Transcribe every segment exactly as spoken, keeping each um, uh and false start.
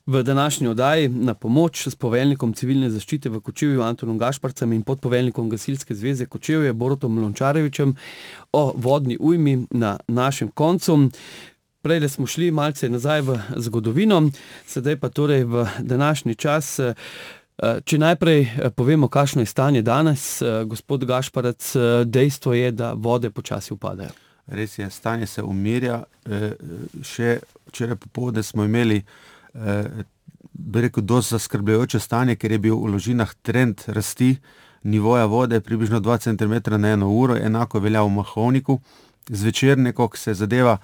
V današnji oddaji na pomoč s poveljnikom civilne zaščite v Kočevju Antonom Gašparcem in podpoveljnikom Gasilske zveze Kočevje Borutom Lončarevičem o vodni ujmi na našem koncu. Prejle smo šli malce nazaj v zgodovino, sedaj pa torej v današnji čas. Če najprej povemo, kakšno je stanje danes, gospod Gašparec, dejstvo je, da vode počasi upadajo. Res je, stanje se umirja. Še včeraj popoldne smo imeli, bi rekel, dosti zaskrbljujoče stanje, ker je bil v Ložinah trend rasti nivoja vode približno dva centimetra na eno uro, enako velja v Mahovniku. Zvečer nekako se zadeva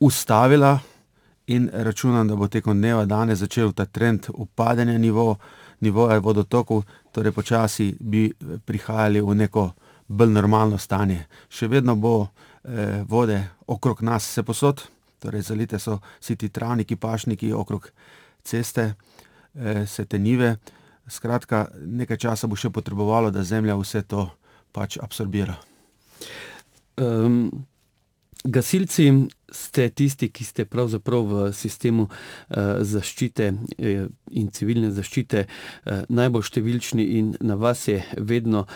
ustavila in računam, da bo tekom dneva danes začel ta trend upadanja nivo, nivoja vodotokov, torej počasi bi prihajali v neko bolj normalno stanje. Še vedno bo eh, vode okrog nas vse posod, torej zalite so vsi ti travniki, pašniki okrog ceste, eh, se te njive. Skratka, nekaj časa bo še potrebovalo, da zemlja vse to pač absorbira. Um, gasilci ste tisti, ki ste pravzaprav v sistemu uh, zaščite uh, in civilne zaščite uh, najbolj številčni in na vas je vedno uh,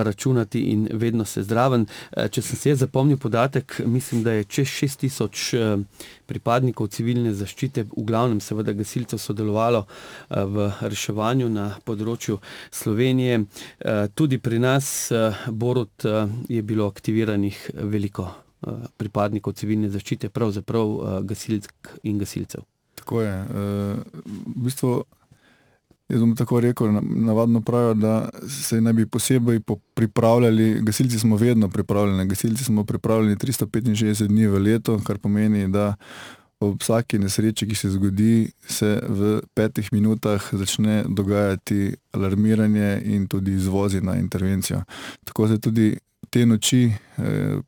računati in vedno se zdraven. Uh, če sem se zapomnil podatek, mislim, da je čez šest tisoč uh, pripadnikov civilne zaščite, v glavnem seveda gasilcev, sodelovalo uh, v reševanju na področju Slovenije. Uh, tudi pri nas, uh, Borut, uh, je bilo aktiviranih veliko pripadnikov civilne zaščite, pravzaprav gasilk in gasilcev. Tako je. V bistvu, jaz bom tako rekel, navadno pravijo, da se naj bi posebej pripravljali, gasilci smo vedno pripravljeni, gasilci smo pripravljeni tristo petinšestdeset dni v leto, kar pomeni, da ob vsaki nesreči, ki se zgodi, se v petih minutah začne dogajati alarmiranje in tudi izvozi na intervencijo. Tako se tudi te noči,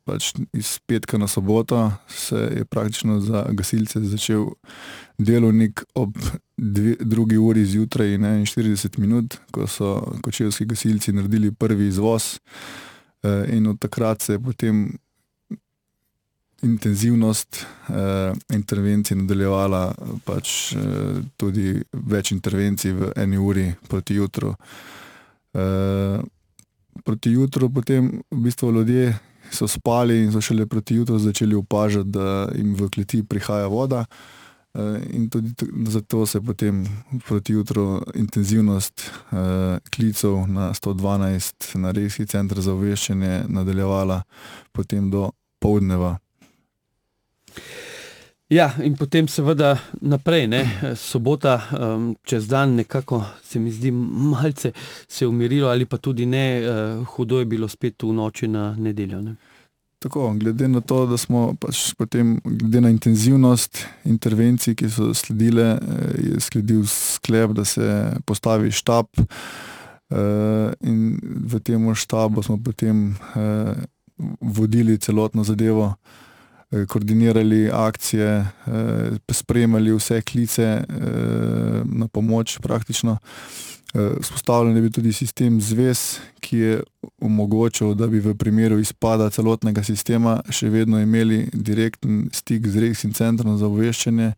pač iz petka na soboto, se je praktično za gasilce začel delovnik ob dve, drugi uri zjutraj in enainštirideset minut, ko so kočevski gasilci naredili prvi izvoz, in od takrat se je potem intenzivnost intervencij nadaljevala, pač tudi več intervencij v eni uri proti jutru. Proti jutru potem v bistvu ljudje so spali in so šele proti jutru začeli opažati, da jim v kleti prihaja voda, in tudi zato se potem proti jutru intenzivnost klicev na sto dvanajst na regijski center za obveščanje nadaljevala potem do poldneva. Ja, in potem seveda naprej, ne, sobota um, čez dan nekako se mi zdi malce se umirilo ali pa tudi ne, uh, hudo je bilo spet v noči na nedeljo, ne. Tako, glede na to, da smo pač potem, glede na intenzivnost intervencij, ki so sledile, je sledil sklep, da se postavi štab, uh, in v tem štabu smo potem uh, vodili celotno zadevo, koordinirali akcije, spremljali vse klice na pomoč praktično. Vzpostavljen je bil tudi sistem zvez, ki je omogočil, da bi v primeru izpada celotnega sistema še vedno imeli direkten stik z regijskim centrom za obveščanje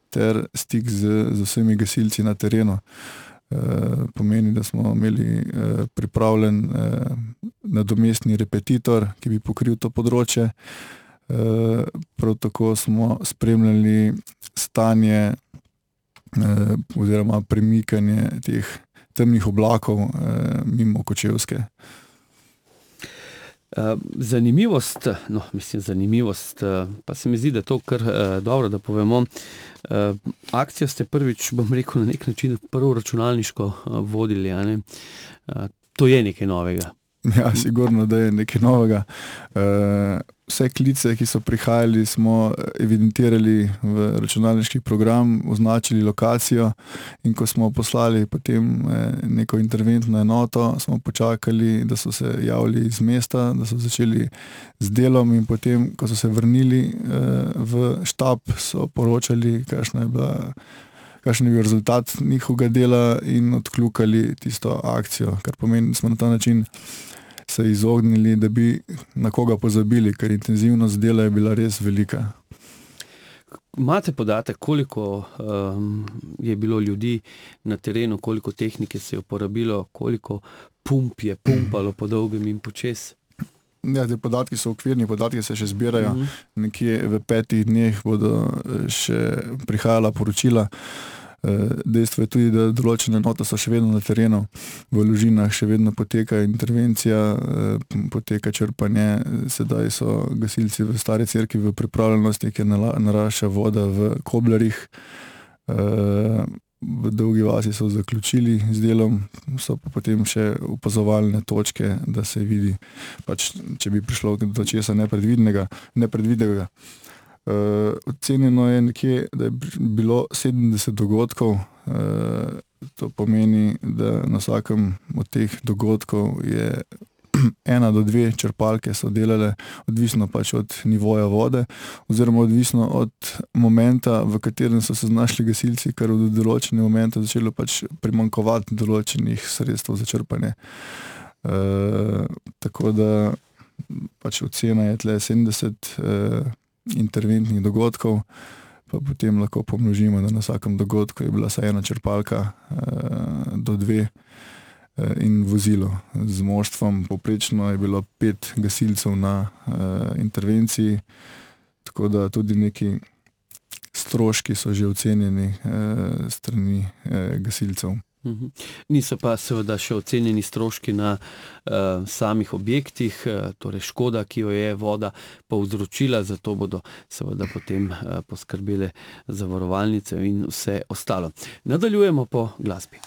ter stik z, z vsemi gasilci na terenu. Pomeni, da smo imeli pripravljen nadomestni repetitor, ki bi pokril to področje. Prav tako smo spremljali stanje oziroma premikanje teh temnih oblakov mimo Kočevske. Zanimivost, no, mislim zanimivost, pa se mi zdi, da to kar dobro, da povemo. Akcijo ste prvič, bom rekel, na nek način prvo računalniško vodili, a ne? To je nekaj novega. Ja, sigurno, da je nekaj novega. Vse klice, ki so prihajali, smo evidentirali v računalniški program, označili lokacijo, in ko smo poslali potem neko interventno enoto, smo počakali, da so se javili iz mesta, da so začeli z delom, in potem, ko so se vrnili v štab, so poročali, kakšna je bila kakšen je bil rezultat njihovega dela in odkljukali tisto akcijo, kar pomeni, da smo na ta način se izognili, da bi na koga pozabili, ker intenzivnost dela je bila res velika. imate podatek, koliko um, je bilo ljudi na terenu, koliko tehnike se je uporabilo, koliko pump je pumpalo po dolgem in počes? Ja, te podatki so okvirni, podatki se še zbirajo. Mhm. Nekje v petih dneh bodo še prihajala poročila. Dejstvo je tudi, da določene enote so še vedno na terenu, v Lužinah še vedno poteka intervencija, poteka črpanje, sedaj so gasilci v Stari Cerkvi v pripravljenosti, ker narašča voda v Koblarjih. V Dolgi vasi so zaključili z delom, so pa potem še opazovalne točke, da se vidi, pač, če bi prišlo do česa nepredvidnega. nepredvidnega. Uh, ocenjeno je nekje, da je bilo sedemdeset dogodkov, uh, to pomeni, da na vsakem od teh dogodkov je ena do dve črpalke so delale, odvisno pač od nivoja vode, oziroma odvisno od momenta, v katerem so se znašli gasilci, ker od določenega momenta začelo pač primanjkovati določenih sredstev za črpanje. Uh, tako da pač ocena je tle sedemdeset uh, interventnih dogodkov, pa potem lahko pomnožimo, da na vsakem dogodku je bila vsaj ena črpalka uh, do dve uh, in vozilo. Z moštvom poprečno je bilo pet gasilcev na uh, intervenciji, tako da tudi neki stroški so že ocenjeni uh, strani uh, gasilcev. Mhm. Niso pa seveda še ocenjeni stroški na uh, samih objektih, uh, torej škoda, ki jo je voda povzročila, zato bodo seveda potem uh, poskrbele zavarovalnice in vse ostalo. Nadaljujemo po glasbi.